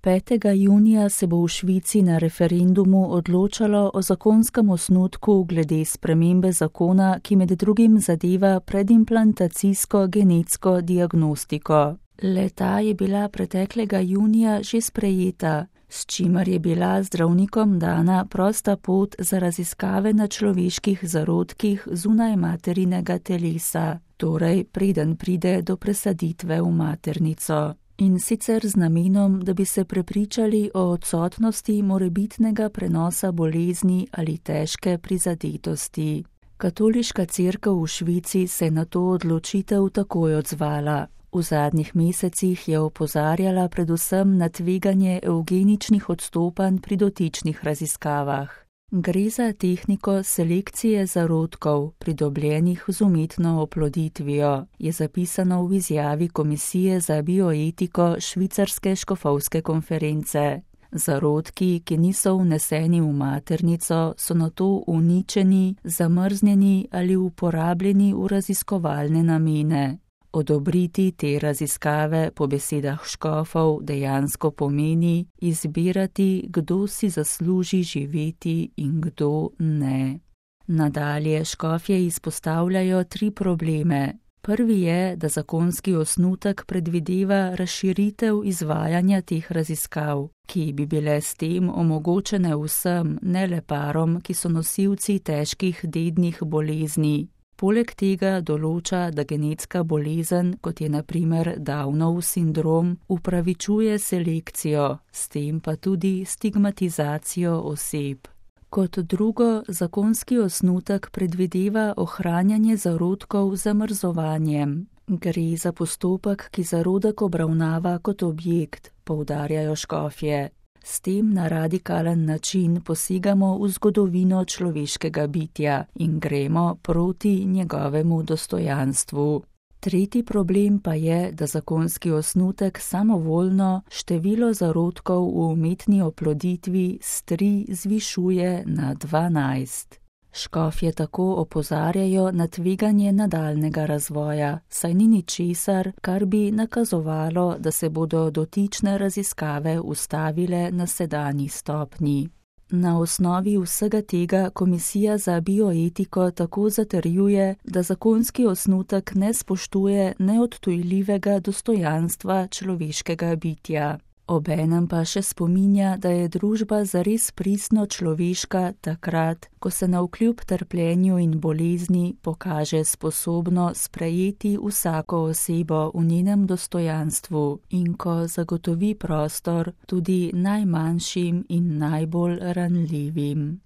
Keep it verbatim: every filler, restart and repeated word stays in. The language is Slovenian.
petega junija se bo v Švici na referendumu odločalo o zakonskem osnutku glede spremembe zakona, ki med drugim zadeva predimplantacijsko genetsko diagnostiko. Le-ta je bila preteklega junija že sprejeta, s čimer je bila zdravnikom dana prosta pot za raziskave na človeških zarodkih zunaj materinega telesa, torej preden pride do presaditve v maternico. In sicer z namenom, da bi se prepričali o odsotnosti morebitnega prenosa bolezni ali težke prizadetosti. Katoliška cerkev v Švici se je na to odločitev takoj odzvala. V zadnjih mesecih je opozarjala predvsem na tveganje evgeničnih odstopanj pri dotičnih raziskavah. Gre za tehniko selekcije zarodkov, pridobljenih z umetno oploditvijo, je zapisano v izjavi Komisije za bioetiko Švicarske škofovske konference. Zarodki, ki niso vneseni v maternico, so nato uničeni, zamrznjeni ali uporabljeni v raziskovalne namene. Odobriti te raziskave po besedah škofov dejansko pomeni izbirati, kdo si zasluži živeti in kdo ne. Nadalje škofje izpostavljajo tri probleme. Prvi je, da zakonski osnutek predvideva razširitev izvajanja teh raziskav, ki bi bile s tem omogočene vsem, ne le parom, ki so nosilci težkih dednih bolezni. Poleg tega določa, da genetska bolezen, kot je na primer Downov sindrom, upravičuje selekcijo, s tem pa tudi stigmatizacijo oseb. Kot drugo, zakonski osnutek predvideva ohranjanje zarodkov z zamrzovanjem. Gre za postopek, ki zarodek obravnava kot objekt, poudarjajo škofje. S tem na radikalen način posegamo v zgodovino človeškega bitja in gremo proti njegovemu dostojanstvu. Tretji problem pa je, da zakonski osnutek samovoljno število zarodkov v umetni oploditvi s tri zvišuje na dvanajst. Škofje tako opozarjajo na tveganje nadaljnjega razvoja, saj ni ničesar, kar bi nakazovalo, da se bodo dotične raziskave ustavile na sedanji stopnji. Na osnovi vsega tega Komisija za bioetiko tako zatrjuje, da zakonski osnutek ne spoštuje neodtujljivega dostojanstva človeškega bitja. Obenem pa še spominja, da je družba zares pristno človeška takrat, ko se navkljub trpljenju in bolezni pokaže sposobno sprejeti vsako osebo v njenem dostojanstvu in ko zagotovi prostor tudi najmanjšim in najbolj ranljivim.